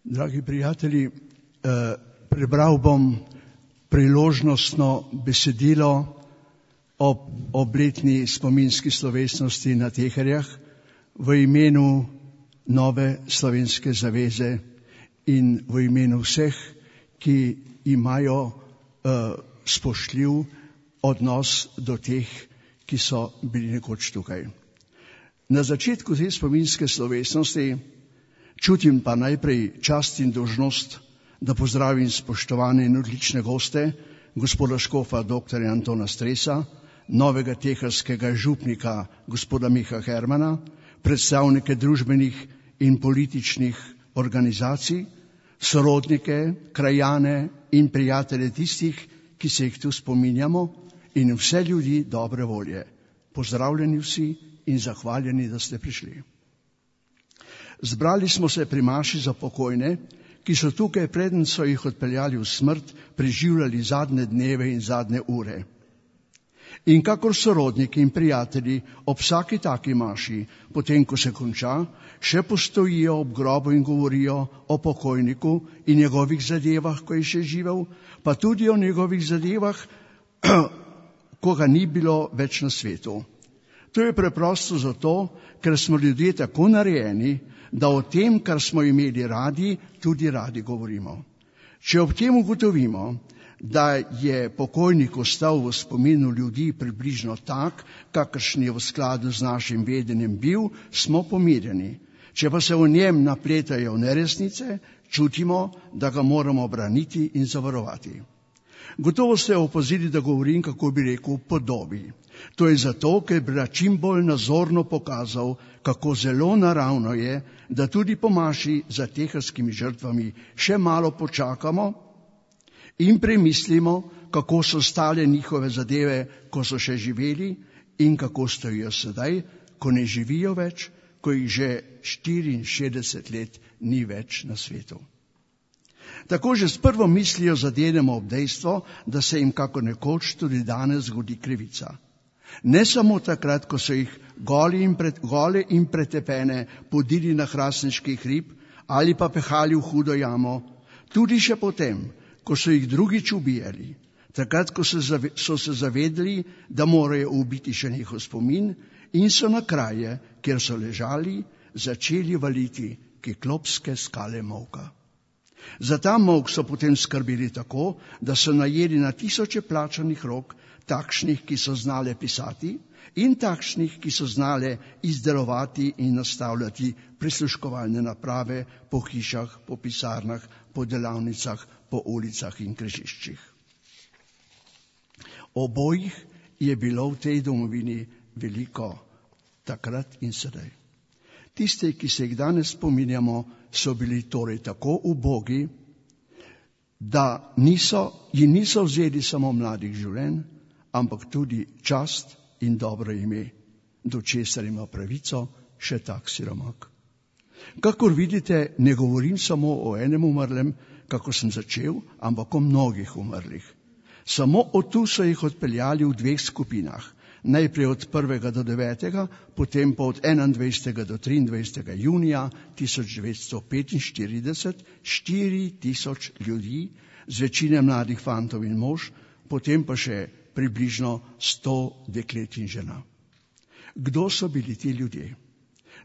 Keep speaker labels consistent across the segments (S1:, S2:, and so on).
S1: Dragi prijatelji, prebral bom priložnostno besedilo ob obletni spominski slovesnosti na Teherjah v imenu Nove slovenske zaveze in v imenu vseh, ki imajo spoštljiv odnos do teh, ki so bili nekoč tukaj. Na začetku te spominske slovesnosti čutim pa najprej čast in dolžnost, da pozdravim spoštovane in odlične goste, gospoda škofa dr. Antona Stresa, novega teharskega župnika gospoda Miha Hermana, predstavnike družbenih in političnih organizacij, sorodnike, krajane in prijatelje tistih, ki se jih tu spominjamo, in vse ljudi dobre volje. Pozdravljeni vsi in zahvaljeni, da ste prišli. Zbrali smo se pri maši za pokojne, ki so tukaj, preden so jih odpeljali v smrt, preživljali zadnje dneve in zadnje ure. In kakor sorodniki in prijatelji ob vsaki taki maši, potem ko se konča, še postojijo ob grobu in govorijo o pokojniku in njegovih zadevah, ko je še živel, pa tudi o njegovih zadevah, ko ga ni bilo več na svetu. To je preprosto zato, ker smo ljudje tako narejeni, da o tem, kar smo imeli radi, tudi radi govorimo. Če ob tem ugotovimo, da je pokojnik ostal v spominu ljudi približno tak, kakršen je v skladu z našim vedenjem bil, smo pomirjeni. Če pa se v njem napletajo neresnice, čutimo, da ga moramo braniti in zavarovati. Gotovo ste opazili, da govorim, kako bi rekel, podobi. To je zato, ker bi čim bolj nazorno pokazal, kako zelo naravno je, da tudi po maši za teharskimi žrtvami še malo počakamo in premislimo, kako so stale njihove zadeve, ko so še živeli, in kako stojijo sedaj, ko ne živijo več, ko jih že 64 let ni več na svetu. Tako že s prvo mislijo zadenemo ob dejstvo, da se jim kako nekoč tudi danes zgodi krivica. Ne samo takrat, ko so jih gole in pretepene podili na hrastniški hrib ali pa pehali v hudo jamo, tudi še potem, ko so jih drugič ubijali, takrat, ko so se zavedali, da morajo ubiti še njihov spomin, in so na kraje, kjer so ležali, začeli valiti kiklopske skale molka. Za ta molk so potem skrbeli tako, da so najeli na tisoče plačanih rok, takšnih, ki so znale pisati, in takšnih, ki so znale izdelovati in nastavljati prisluškovalne naprave po hišah, po pisarnah, po delavnicah, po ulicah in križiščih. Obojih je bilo v tej domovini veliko, takrat in sedaj. Tiste, ki se jih danes spominjamo, so bili torej tako ubogi, da ji niso vzeli samo mladih življenj, ampak tudi čast in dobro ime, do česar ima pravico še tak siromak. Kakor vidite, ne govorim samo o enem umrlem, kako sem začel, ampak o mnogih umrlih. Samo od tu so jih odpeljali v dveh skupinah. Najprej od 1. do 9., potem pa od 21. do 23. junija 1945, 4000 ljudi, z večine mladih fantov in mož, potem pa še približno 100 deklet in žena. Kdo so bili ti ljudje?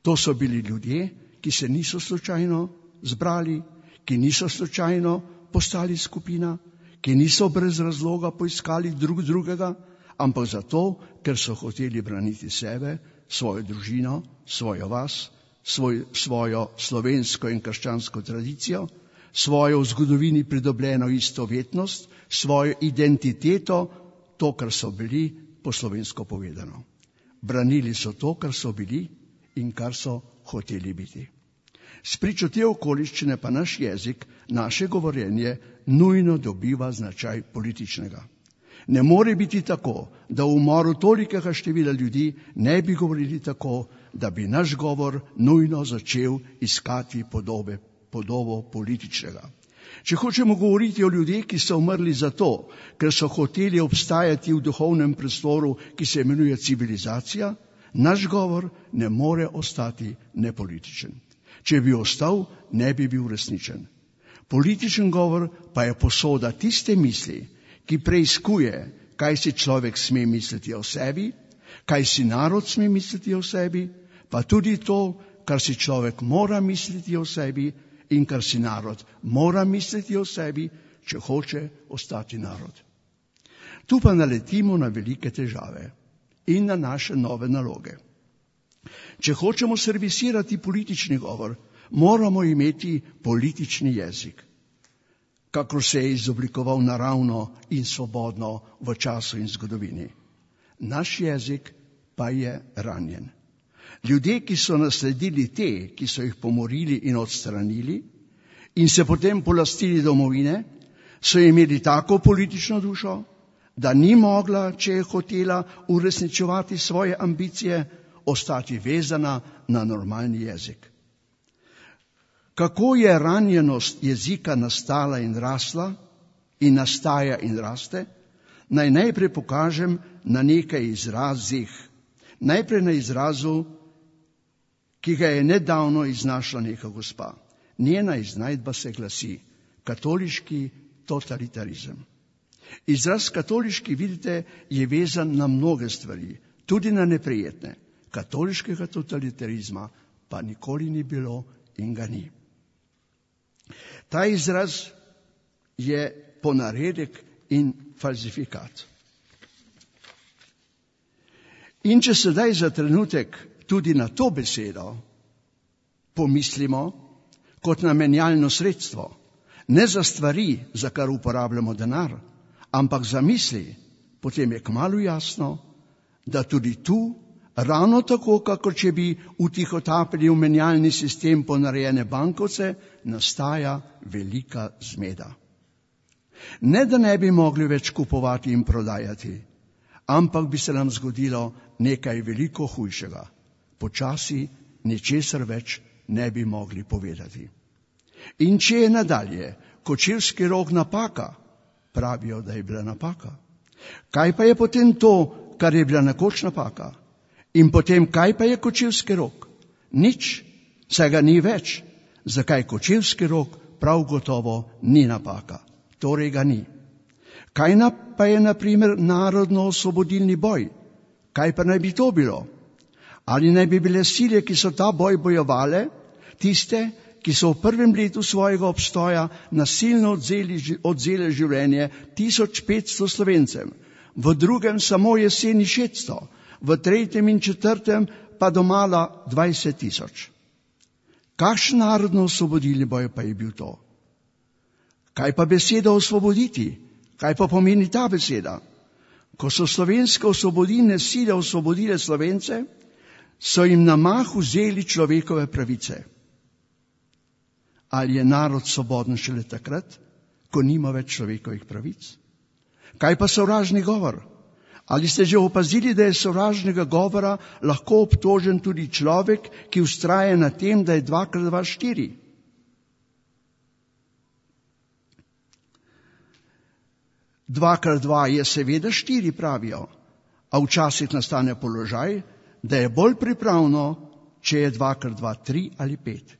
S1: To so bili ljudje, ki se niso slučajno zbrali, ki niso slučajno postali skupina, ki niso brez razloga poiskali drugega, ampak zato, ker so hoteli braniti sebe, svojo družino, svojo vas, svojo slovensko in krščansko tradicijo, svojo v zgodovini pridobljeno istovetnost, svojo identiteto, to, kar so bili, po slovensko povedano. Branili so to, kar so bili in kar so hoteli biti. Spričo te okoliščine pa naš jezik, naše govorjenje nujno dobiva značaj političnega. Ne more biti tako, da v umoru tolikega števila ljudi ne bi govorili tako, da bi naš govor nujno začel iskati podobo političnega. Če hočemo govoriti o ljudeh, ki so umrli zato, ker so hoteli obstajati v duhovnem prostoru, ki se imenuje civilizacija, naš govor ne more ostati nepolitičen. Če bi ostal, ne bi bil resničen. Političen govor pa je posoda tiste misli, ki preiskuje, kaj si človek sme misliti o sebi, kaj si narod sme misliti o sebi, pa tudi to, kar si človek mora misliti o sebi in kar si narod mora misliti o sebi, če hoče ostati narod. Tu pa naletimo na velike težave in na naše nove naloge. Če hočemo servisirati politični govor, moramo imeti politični jezik, kakor se je izoblikoval naravno in svobodno v času in zgodovini. Naš jezik pa je ranjen. Ljudje, ki so nasledili te, ki so jih pomorili in odstranili in se potem polastili domovine, so imeli tako politično dušo, da ni mogla, če je hotela uresničevati svoje ambicije, ostati vezana na normalni jezik. Kako je ranjenost jezika nastala in rasla in nastaja in raste, naj najprej pokažem na nekaj izrazih. Najprej na izrazu, ki ga je nedavno iznašla neka gospa. Njena iznajdba se glasi katoliški totalitarizem. Izraz katoliški, vidite, je vezan na mnoge stvari, tudi na neprijetne. Katoliškega totalitarizma pa nikoli ni bilo in ga ni. Ta izraz je ponaredek in falsifikat. In če sedaj za trenutek tudi na to besedo pomislimo kot na menjalno sredstvo, ne za stvari, za kar uporabljamo denar, ampak za misli, potem je kmalu jasno, da tudi tu, ravno tako, kakor če bi utihotapili v menjalni sistem ponarejene bankovce, nastaja velika zmeda. Ne, da ne bi mogli več kupovati in prodajati, ampak bi se nam zgodilo nekaj veliko hujšega. Počasi ničesar več ne bi mogli povedati. In če je nadalje kočevski rog napaka, pravijo, da je bila napaka. Kaj pa je potem to, kar je bila nekoč napaka? In potem, kaj pa je kočevski rog? Nič, saj ga ni več. Zakaj kočevski rog prav gotovo ni napaka? Torej ga ni. Kaj pa je, na primer, narodno-osvobodilni boj? Kaj pa naj bi to bilo? Ali naj bi bile sile, ki so ta boj bojevale, tiste, ki so v prvem letu svojega obstoja nasilno odzele življenje 1500 Slovencem, v drugem samo jeseni 600, v tretjem in četrtem pa domala 20 000. Kakšen narodno-osvobodilni boj pa je bil to? Kaj pa beseda osvoboditi? Kaj pa pomeni ta beseda? Ko so slovenske osvobodilne sile osvobodile Slovence, so jim na mah vzeli človekove pravice. Ali je narod svoboden šele takrat, ko nima več človekovih pravic? Kaj pa sovražni govor? Ali ste že opazili, da je sovražnega govora lahko obtožen tudi človek, ki vztraja na tem, da je 2x2 4? Dvakrat 2 je seveda 4, pravijo, a včasih nastane položaj, da je bolj pripravno, če je 2x2 3 ali 5.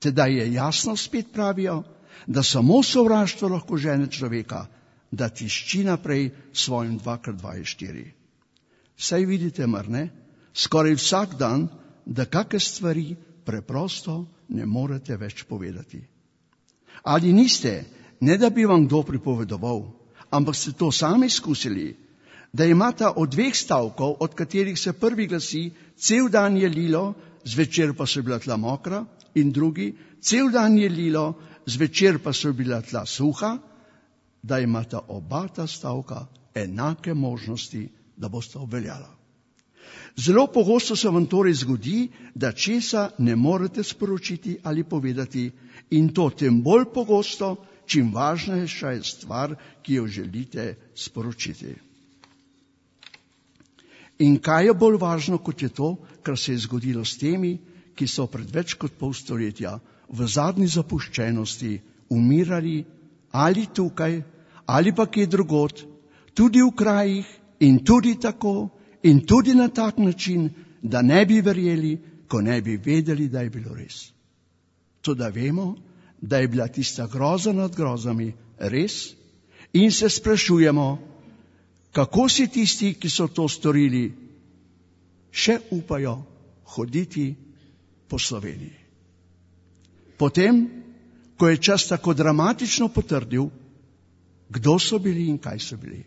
S1: Teda je jasno, spet pravijo, da samo sovraštvo lahko žene človeka, da tišči naprej svojim 2x2 je 4. Saj vidite, mar ne, skoraj vsak dan, da kakšne stvari preprosto ne morete več povedati. Ali niste, ne da bi vam kdo pripovedoval, ampak ste to sami izkusili, da imata od 2 stavkov, od katerih se prvi glasi, cel dan je lilo, zvečer pa so bila tla mokra, in drugi, cel dan je lilo, zvečer pa so bila tla suha, da imata oba ta stavka enake možnosti, da bosta obveljala. Zelo pogosto se vam torej zgodi, da česa ne morete sporočiti ali povedati, in to tem bolj pogosto, čim važnejša je stvar, ki jo želite sporočiti. In kaj je bolj važno, kot je to, kar se je zgodilo s temi, ki so pred več kot pol stoletja v zadnji zapuščenosti umirali ali tukaj, ali pa kje drugod, tudi v krajih in tudi tako in tudi na tak način, da ne bi verjeli, ko ne bi vedeli, da je bilo res. Toda vemo, da je bila tista groza nad grozami res in se sprašujemo, kako si tisti, ki so to storili, še upajo hoditi po Sloveniji. Potem, ko je čas tako dramatično potrdil, kdo so bili in kaj so bili.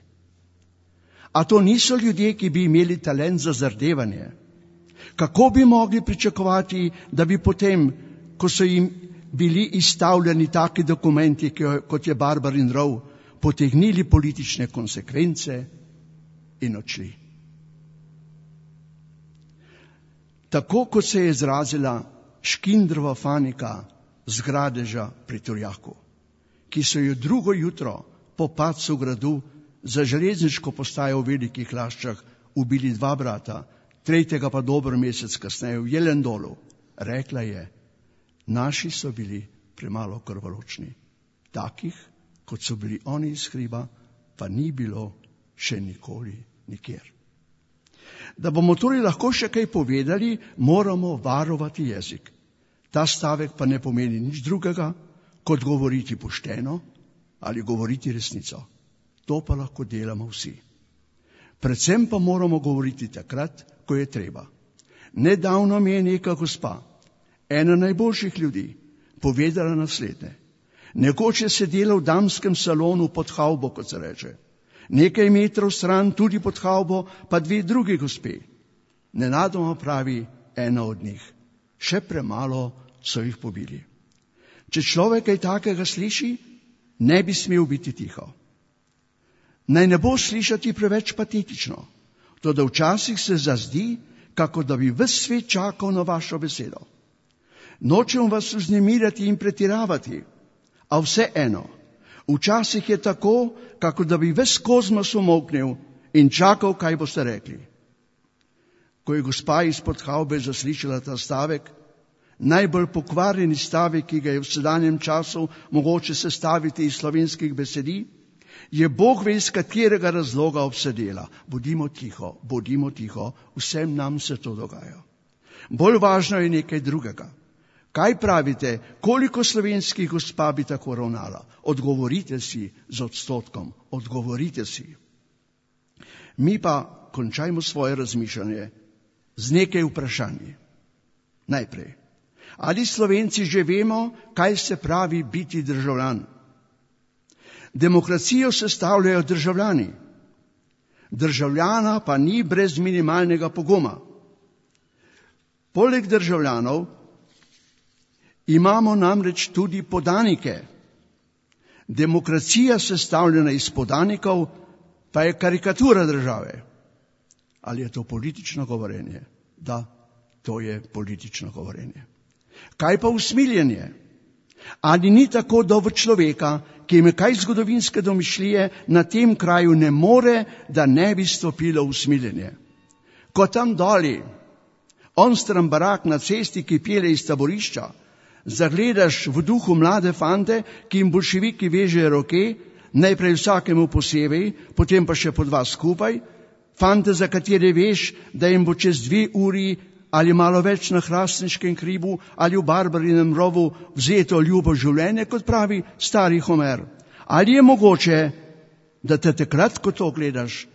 S1: A to niso ljudje, ki bi imeli talent za zardevanje. Kako bi mogli pričakovati, da bi potem, ko so jim bili izstavljeni taki dokumenti, kot je Barbarin rov, potegnili politične konsekvence in odšli. Tako kot se je izrazila Škindrova Fanika z Gradeža pri Turjaku, ki so jo drugo jutro po padcu gradu za železniško postajo v Velikih Laščah ubili 2 brata, 3. pa dober mesec kasneje v Jelendolu. Rekla je, naši so bili premalo krvoločni. Takih, kot so bili oni iz hriba, pa ni bilo še nikoli nikjer. Da bomo torej lahko še kaj povedali, moramo varovati jezik. Ta stavek pa ne pomeni nič drugega, kot govoriti pošteno ali govoriti resnico. To pa lahko delamo vsi. Predvsem pa moramo govoriti takrat, ko je treba. Nedavno mi je neka gospa, ena najboljših ljudi, povedala naslednje. Nekoč je sedela v damskem salonu pod havbo, kot se reče. Nekaj metrov stran, tudi pod havbo, pa 2 drugi gospe. Nenadoma pravi ena od njih. Še premalo so jih pobili. Če človek kaj takega sliši, ne bi smel biti tiho. Naj ne bo slišati preveč patetično, toda včasih se zazdi, kako da bi ves svet čakal na vašo besedo. Nočem vas vznemirjati in pretiravati, a vseeno, včasih je tako, kako da bi ves kozmos umolknil in čakal, kaj boste rekli. Ko je gospa izpod havbe zaslišala ta stavek, najbolj pokvarjeni stavek, ki ga je v sedanjem času mogoče sestaviti iz slovenskih besedi, je Bog ve iz katerega razloga obsedela. Bodimo tiho, vsem nam se to dogaja. Bolj važno je nekaj drugega. Kaj pravite, koliko slovenskih gospa bi tako ravnala? Odgovorite si z odstotkom, odgovorite si. Mi pa končajmo svoje razmišljanje z nekaj vprašanji. Najprej, ali Slovenci že vemo, kaj se pravi biti državljan? Demokracijo sestavljajo državljani. Državljana pa ni brez minimalnega poguma. Poleg državljanov imamo namreč tudi podanike. Demokracija sestavljena iz podanikov pa je karikatura države. Ali je to politično govorenje? Da, to je politično govorenje. Kaj pa usmiljenje? Ali ni tako, da v človeka, ki ima kaj zgodovinske domišljije, na tem kraju ne more, da ne bi stopilo usmiljenje? Ko tam doli, onstran barak na cesti, ki pelje iz taborišča, zagledaš v duhu mlade fante, ki jim boljševiki vežejo roke, najprej vsakemu posebej, potem pa še po 2 skupaj, fante, za katere veš, da jim bo čez 2 uri ali malo več na hrastniškem hribu ali v Barbarinem rovu vzeto ljubo življenje, kot pravi stari Homer. Ali je mogoče, da te takrat, ko to gledaš,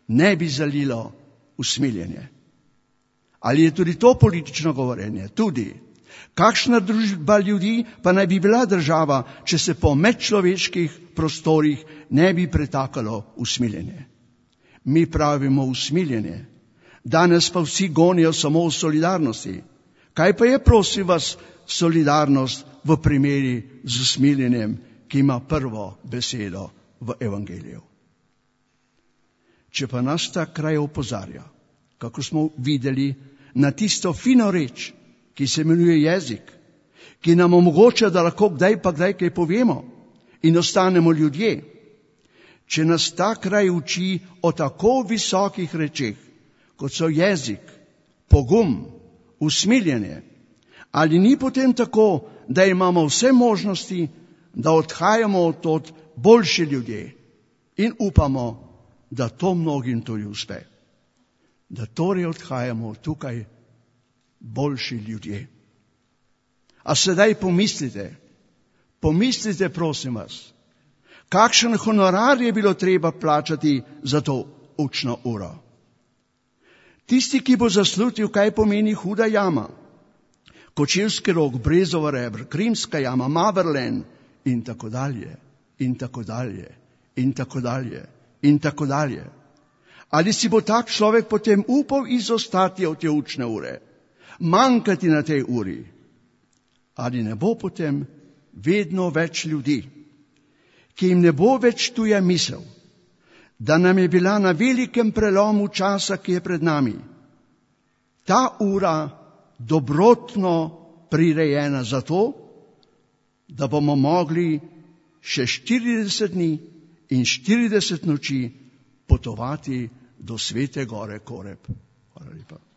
S1: ne bi zalilo usmiljenje? Ali je tudi to politično govorenje? Tudi. Kakšna družba ljudi pa naj bi bila država, če se po medčloveških prostorih ne bi pretakalo usmiljenje? Mi pravimo usmiljenje. Danes pa vsi gonijo samo v solidarnosti. Kaj pa je, prosim vas, solidarnost v primeri z usmiljenjem, ki ima prvo besedo v evangeliju? Če pa nas ta kraj opozarja, kako smo videli, na tisto fino reč, ki se imenuje jezik, ki nam omogoča, da lahko kdaj pa kdaj kaj povemo in ostanemo ljudje. Če nas ta kraj uči o tako visokih rečeh, kot so jezik, pogum, usmiljenje, ali ni potem tako, da imamo vse možnosti, da odhajamo od boljši ljudje in upamo, da to mnogim tudi uspe. Da torej odhajamo tukaj boljši ljudje. A sedaj pomislite, prosim vas, kakšen honorar je bilo treba plačati za to učno uro. Tisti, ki bo zaslutil, kaj pomeni Huda jama, Kočevski rog, Brezova rebr, Krimska jama, Maverlen in tako dalje, in tako dalje, in tako dalje, in tako dalje. Ali si bo tak človek potem upal izostati od te učne ure, manjkati na tej uri? Ali ne bo potem vedno več ljudi, ki jim ne bo več tuja misel, da nam je bila na velikem prelomu časa, ki je pred nami, ta ura dobrotno prirejena za to, da bomo mogli še 40 dni in 40 noči potovati do svete gore Koreb. Hvala lepa.